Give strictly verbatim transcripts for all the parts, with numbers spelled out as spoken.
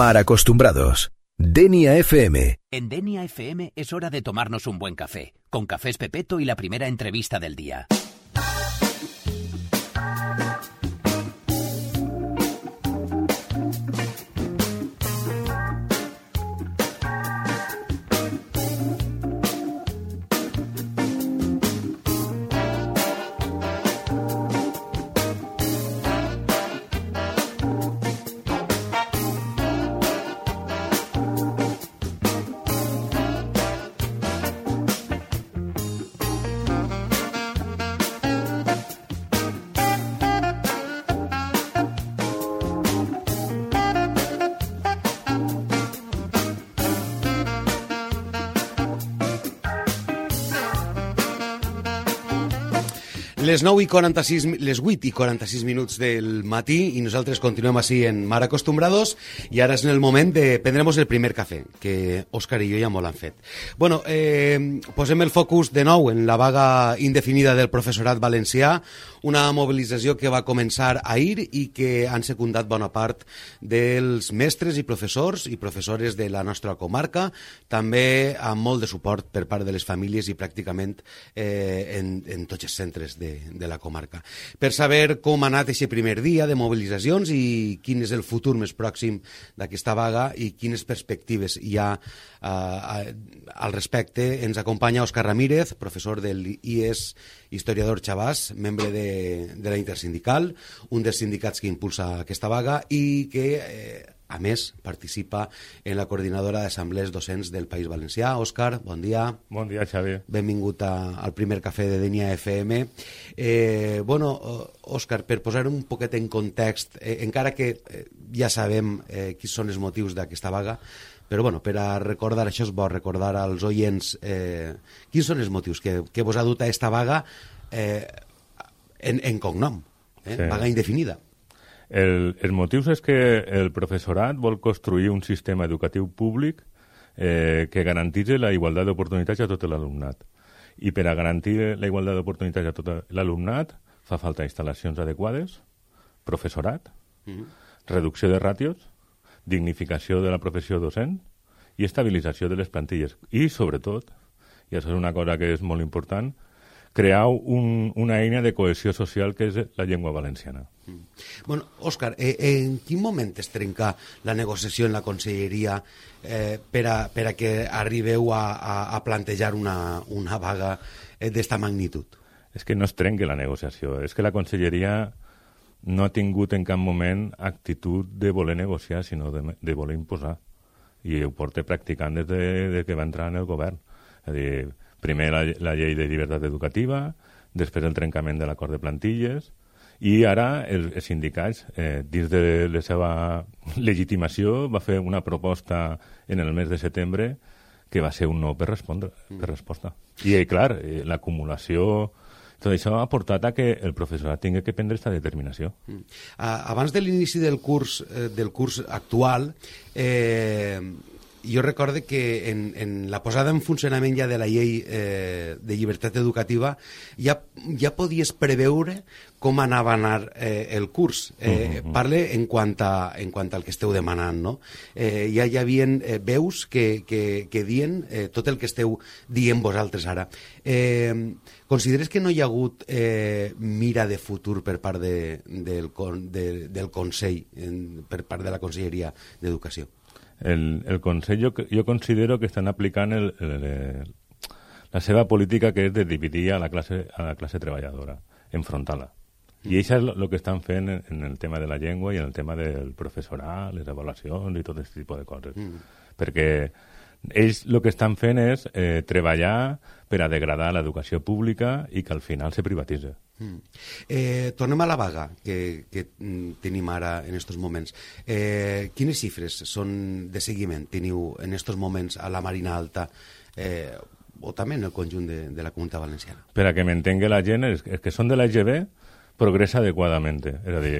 Mar Acostumbrados. Denia F M. En Denia F M es hora de tomarnos un buen café, con Cafés Pepeto y la primera entrevista del día. Les nou i quaranta-sis, les vuit i quaranta-sis minuts del matí i nosaltres continuem així en Mar Acostumbrados i ara és en el moment de prendre'ns el primer cafè, que Òscar i jo ja molt han fet. Bueno, eh, posem el focus de nou en la vaga indefinida del professorat valencià, una mobilització que va començar ahir i que han secundat bona part dels mestres i professors i professores de la nostra comarca, també amb molt de suport per part de les famílies i pràcticament eh, en, en tots els centres de de la comarca. Per saber com ha anat aquest primer dia de mobilitzacions i quin és el futur més pròxim d'aquesta vaga i quines perspectives hi ha uh, al respecte, ens acompanya Òscar Ramírez, professor del I E S Historiador Chavàs, membre de, de la Intersindical, un dels sindicats que impulsa aquesta vaga i que eh, a més, participa en la coordinadora d'assemblees docents del País Valencià. Òscar, bon dia. Bon dia, Xavi. Benvingut a, al primer cafè de Denia F M. Eh, bueno, Òscar, per posar un poquet en context, eh, encara que eh, ja sabem eh, quins són els motius d'aquesta vaga, però bueno, per a recordar, això és bo, recordar als oients eh, quins són els motius que, que vos ha dut a aquesta vaga eh, en, en cognom, eh? Sí. Vaga indefinida. El, el motiu és que el professorat vol construir un sistema educatiu públic eh, que garantitzi la igualtat d'oportunitats a tot l'alumnat. I per a garantir la igualtat d'oportunitats a tot l'alumnat fa falta instal·lacions adequades, professorat, mm-hmm. reducció de ràtios, dignificació de la professió docent i estabilització de les plantilles. I, sobretot, i això és una cosa que és molt important, crear un, una eina de cohesió social que és la llengua valenciana. Mm. Bueno, Òscar, eh, en quin moment es trenca la negociació en la conselleria eh, per, a, per a que arribeu a, a, a plantejar una, una vaga eh, d'esta magnitud? És que no es trenca la negociació, és que la conselleria no ha tingut en cap moment actitud de voler negociar, sinó de, de voler imposar. I ho porta practicant des de, de que va entrar en el govern. És a dir, primer la, la llei de llibertat educativa, després el trencament de l'acord de plantilles, i ara el, els sindicats, eh, dins de la seva legitimació, va fer una proposta en el mes de setembre que va ser un no per, respondre, per resposta. I, clar, eh, l'acumulació... Tot això ha portat a que el professorat tingui que prendre aquesta determinació. Mm. Abans de l'inici del curs, eh, del curs actual, eh, jo recorde que en, en la posada en funcionament ja de la llei eh, de llibertat educativa ja, ja podies preveure com anava a anar eh, el curs. Eh, uh-huh. Parle en quant, a, en quant al que esteu demanant, no? Eh, ja hi havia eh, veus que, que, que dien eh, tot el que esteu dient vosaltres ara. Eh, consideres que no hi ha hagut eh, mira de futur per part de, del, de, del Consell, en, per part de la Conselleria d'Educació? El, el Consell jo, jo considero que estan aplicant el, el, el, la seva política, que és de dividir a la classe, a la classe treballadora, enfrontar-la. Mm. I això és el que estan fent en, en el tema de la llengua i en el tema del professorat, les avaluacions i tot aquest tipus de coses. Mm. Perquè ells el que estan fent és eh, treballar per a degradar l'educació pública i que al final se privatitza. Mm. Eh, tornem a la vaga que, que tenim ara en aquests moments. Eh, quines xifres són de seguiment teniu en aquests moments a la Marina Alta eh, o també en el conjunt de, de la Comunitat Valenciana? Per a que m'entengui la gent, és, és que són de l'A G B progressa adequadament. És a dir,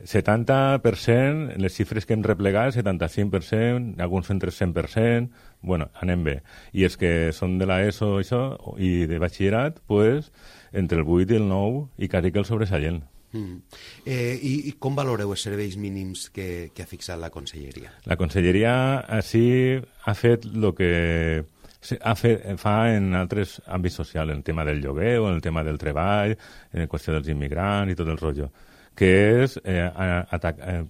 setanta per cent, les xifres que hem replegat, setanta-cinc per cent, alguns centres cent per cent, bueno, anem bé. I és que són de l'ESO això, i de batxillerat, pues, entre el vuit i el nou, i quasi que el sobresalient. Mm. Eh, i, I com valoreu els serveis mínims que, que ha fixat la Conselleria? La Conselleria així ha fet el que ha fet, fa en altres àmbits socials, en el tema del lloguer o en el tema del treball, en la qüestió dels immigrants i tot el rotllo, que és eh, atac, eh,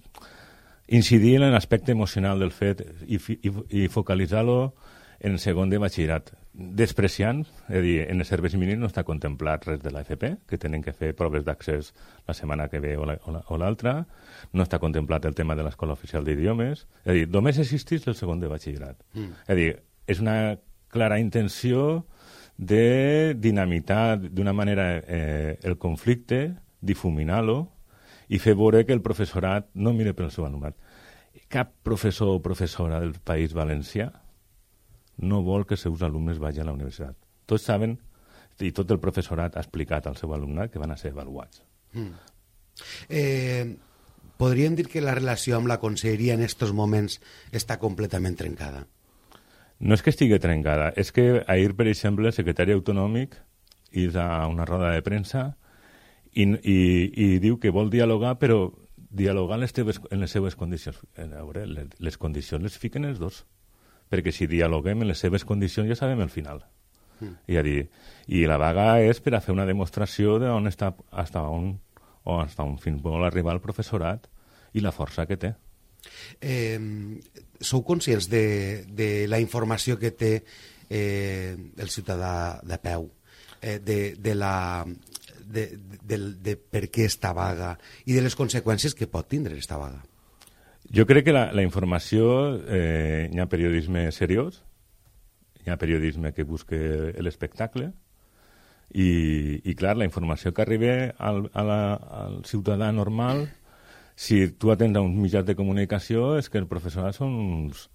incidir en l'aspecte emocional del fet i, i, i focalitzar-lo en segon de batxillerat, despreciant, és a dir, en els serveis mínims no està contemplat res de l'A F P, que tenen que fer proves d'accés la setmana que ve o l'altra, no està contemplat el tema de l'Escola Oficial d'Idiomes, és a dir, només existeix el segon de batxillerat. Mm. És a dir, és una clara intenció de dinamitar d'una manera eh, el conflicte, difuminar-lo i fer veure que el professorat no mire pel seu alumnat. Cap professor o professora del País Valencià no vol que els seus alumnes vagin a la universitat. Tots saben, i tot el professorat ha explicat al seu alumnat que van a ser avaluats. Mm. Eh, podríem dir que la relació amb la Conselleria en aquests moments està completament trencada? No és que estigui trencada, és que ahir, per exemple, el secretari autonòmic és a una roda de premsa i, i, i diu que vol dialogar, però dialogar en les, teves, en les seves condicions. A veure, les, les condicions les fiquen els dos, perquè si dialoguem en les seves condicions ja sabem el final. Mm. I, a dir, i la vaga és per a fer una demostració d'on està, hasta on, o hasta on fins vol arribar el professorat i la força que té. Eh, sou conscients de, de la informació que té eh, el ciutadà de peu, eh, de, de la... De, de, de, de per què esta vaga i de les conseqüències que pot tindre esta vaga? Jo crec que la, la informació, eh, hi ha periodisme seriós, hi ha periodisme que busca l'espectacle i, i clar, la informació que arriba al, a la, al ciutadà normal, si tu atens a uns mitjans de comunicació, és que el professorat són uns,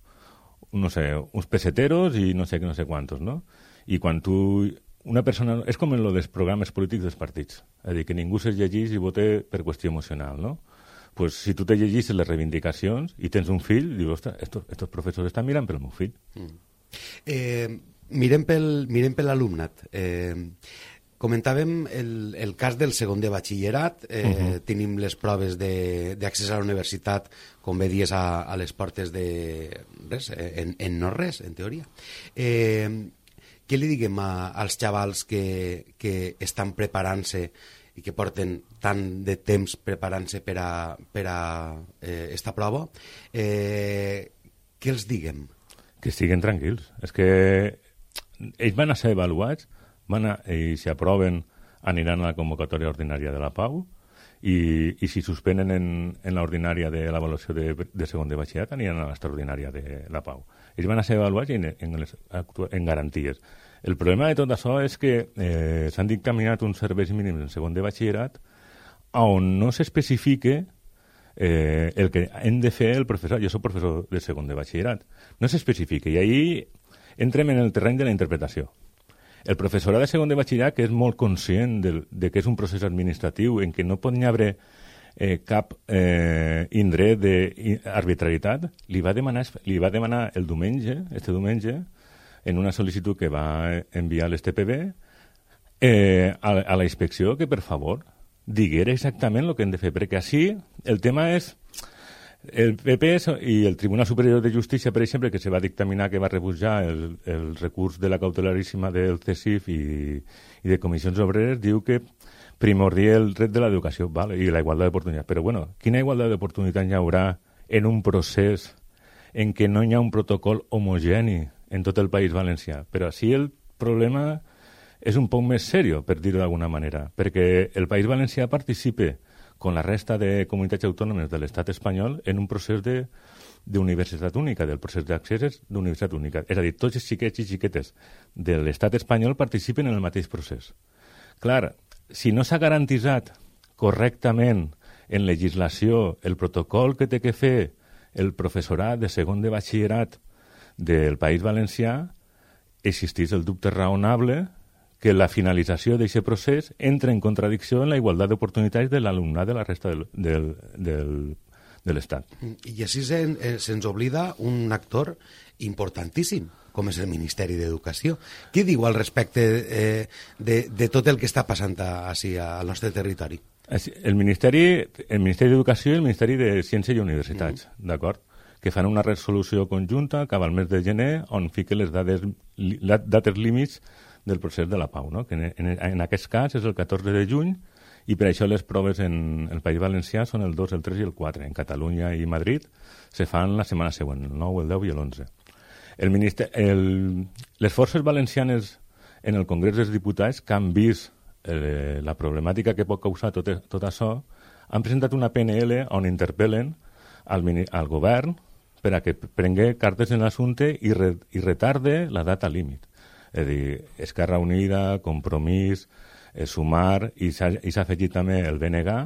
no sé, uns peseteros i no sé no sé quantos, no? I quan tu... Una persona... És com en lo dels programes polítics dels partits. És a dir, que ningú se llegeix i vote per qüestió emocional, no? Pues si tu te llegeixes les reivindicacions i tens un fill, dius, ostres, estos, estos professors estan mirant pel meu fill. Mm. Eh, mirem pel, mirem per l'alumnat. Eh, comentàvem el, el cas del segon de batxillerat. Eh, uh-huh. Tenim les proves d'accés a la universitat, com bé dies, a, a les portes de res, en, en no res, en teoria. Eh, què li diguem a, als xavals que, que estan preparant-se i que porten tant de temps preparant-se per a, per a eh, esta prova, eh, què els diguem? Que estiguen tranquils. És que ells van a ser avaluats, van a, i si aproven aniran a la convocatòria ordinària de la Pau i, i si suspenen en, en l'ordinària de l'avaluació de, de segon de batxillerat aniran a l'extraordinària de la Pau. Ells van a ser avaluats en, en, les, en garanties. El problema de tot això és que eh, s'han dictaminat uns serveis mínims en segon de batxillerat on no s'especifique eh, el que hem de fer el professor. Jo soc professor de segon de batxillerat. No s'especifica i ahí entrem en el terreny de la interpretació. El professorat de segon de batxillerat, que és molt conscient de, de que és un procés administratiu en què no pot haver eh, cap eh, indret d'arbitrarietat, li va demanar, li va demanar el diumenge, este diumenge, en una sol·licitud que va enviar l'S T P B eh, a, a la inspecció que, per favor, diguera exactament el que hem de fer, perquè així el tema és el P P i el Tribunal Superior de Justícia, per exemple, que se va dictaminar que va rebutjar el, el recurs de la cautelaríssima del C S I F i, i de comissions obreres, diu que primordia el dret de l'educació, vale, i la igualtat d'oportunitats. Però, bueno, quina igualtat d'oportunitats hi haurà en un procés en què no hi ha un protocol homogeni en tot el País Valencià? Però així el problema és un poc més seriós, per dir-ho d'alguna manera, perquè el País Valencià participa con la resta de comunitats autònomes de l'estat espanyol en un procés de d'universitat única, del procés d'accés d'universitat única. És a dir, tots els xiquets i xiquetes de l'estat espanyol participen en el mateix procés. Clar, si no s'ha garantitzat correctament en legislació el protocol que té que fer el professorat de segon de batxillerat del País Valencià, existeix el dubte raonable que la finalització d'aquest procés entra en contradicció en la igualtat d'oportunitats de l'alumnat de la resta del, del, del, de l'Estat. I així se'ns se oblida un actor importantíssim, com és el Ministeri d'Educació. Què diu al respecte eh, de, de tot el que està passant així al nostre territori? El Ministeri, el Ministeri d'Educació i el Ministeri de Ciència i Universitats, mm. d'acord? Que fan una resolució conjunta cap al mes de gener on fiquen les dades, dates límits del procés de la pau, no? Que en, en, en aquest cas és el catorze de juny i per això les proves en el País Valencià són el dos, el tres i el quatre. En Catalunya i Madrid se fan la setmana següent, el nou, el deu i l'onze. El minister, el, les forces valencianes en el Congrés dels Diputats que han vist eh, la problemàtica que pot causar tot, tot això, han presentat una P N L on interpel·len al, al govern per a que prengui cartes en l'assumpte i, re, i retarde la data límit. És a dir, Esquerra Unida, Compromís, eh, Sumar i s'ha afegit també el B N G,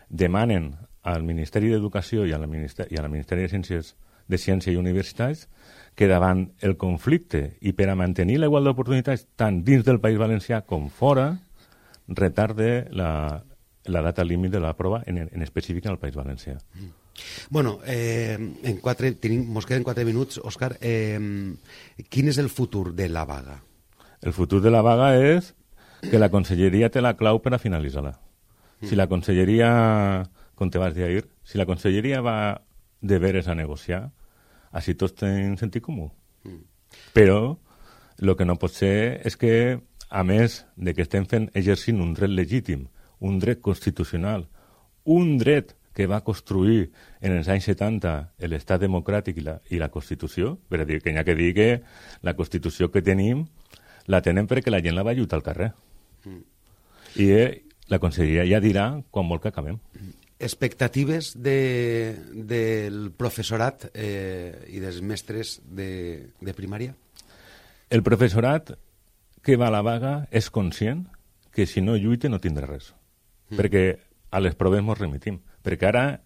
demanen al Ministeri d'Educació i a la Ministeri, i a la Ministeri de Ciències de Ciència i Universitats que davant el conflicte i per a mantenir la igualtat d'oportunitats tant dins del País Valencià com fora, retarde la, la data límit de la prova, en, en específic en el País Valencià. Mm. Bueno, eh, en quatre, tenim, mos queden quatre minuts, Òscar. Eh, quin és el futur de la vaga? El futur de la vaga és que la conselleria té la clau per a finalitzar-la. Mm. Si la conselleria, com te vas dir ahir, si la conselleria va de veres a negociar, així tots tenen sentit comú. Mm. Però el que no pot ser és que, a més de que estem fent exercint un dret legítim, un dret constitucional, un dret que va construir en els anys setanta l'estat democràtic i la, i la Constitució, per a dir que hi ha que dir que la Constitució que tenim la tenen perquè la gent la va lluitar al carrer. Mm. I eh, la conselleria ja dirà quan vol que acabem. Expectatives de, del professorat eh, i dels mestres de, de primària? El professorat que va a la vaga és conscient que si no lluita no tindrà res. Mm. Perquè a les proves ens remitim. Perquè ara,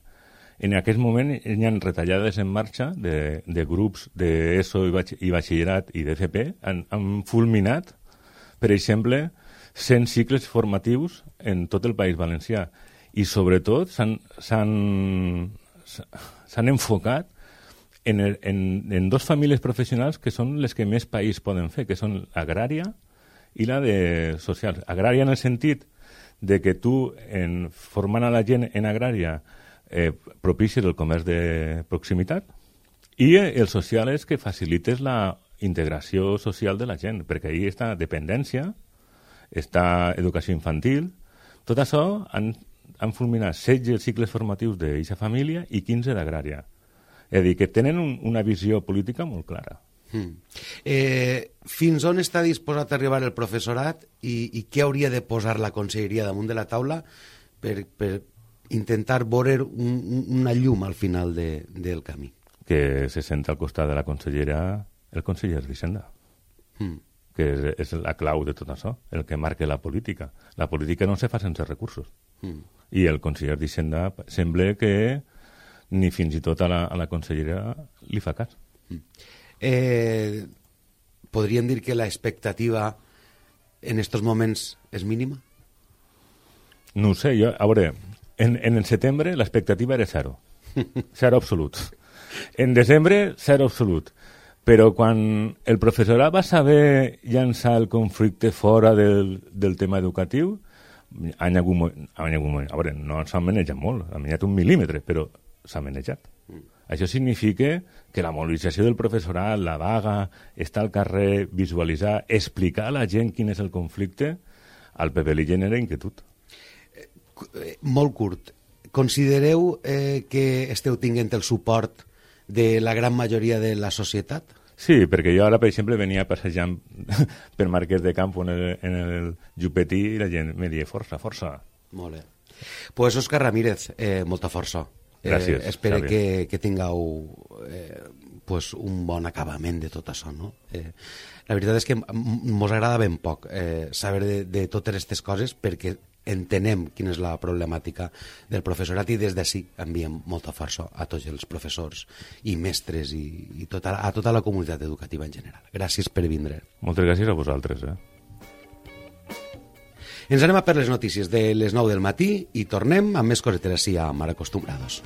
en aquest moment, hi ha retallades en marxa de, de grups d'ESO i, batx i batxillerat i d'F P. Han, han fulminat, per exemple, cent cicles formatius en tot el País Valencià. I, sobretot, s'han enfocat en, el, en, en dos famílies professionals que són les que més país poden fer, que són l'agrària i la de socials. Agrària en el sentit de que tu, en, formant a la gent en agrària, eh, propicis el comerç de proximitat, i el social és que facilites la integració social de la gent, perquè ahí està dependència, està educació infantil, tot això han, han fulminat setze cicles formatius d'aquesta família i quinze d'agrària. És a dir, que tenen un, una visió política molt clara. Mm. Eh, fins on està disposat a arribar el professorat i, i què hauria de posar la conselleria damunt de la taula per, per intentar veure un, una llum al final de, del camí? Que se senta al costat de la consellera el conseller d'Hisenda, mm. que és, és la clau de tot això, el que marca la política. La política no se fa sense recursos. Mm. I el conseller d'Hisenda sembla que ni fins i tot a la, a la consellera li fa cas. Mm. Eh, podríem dir que la expectativa en estos moments és mínima? No ho sé, jo, a veure, en, en el setembre l'expectativa era zero, zero absolut. En desembre, zero absolut. Però quan el professorat va saber llançar el conflicte fora del, del tema educatiu, han hagut, han hagut, a veure, no s'ha manejat molt, ha manejat un mil·límetre, però s'ha manejat. Mm. Això significa que la mobilització del professorat, la vaga, estar al carrer, visualitzar, explicar a la gent quin és el conflicte, al P P li genera inquietud. Eh, molt curt. Considereu eh, que esteu tinguent el suport de la gran majoria de la societat? Sí, perquè jo ara, per exemple, venia passejant per Marquès de Campo en el, en el Jupetí i la gent me deia força, força. Molt bé. Pues Òscar Ramírez, eh, molta força. Gràcies. Eh, espero que, que tingueu eh, pues un bon acabament de tot això, no? Eh, la veritat és que mos agrada ben poc eh, saber de, de totes aquestes coses perquè entenem quina és la problemàtica del professorat i des d'ací enviem molta força a tots els professors i mestres i, i tota, a tota la comunitat educativa en general. Gràcies per vindre. Moltes gràcies a vosaltres, eh? Ens anem a per les notícies de les nou del matí i tornem amb més cosetes així a Mar Acostumbrados.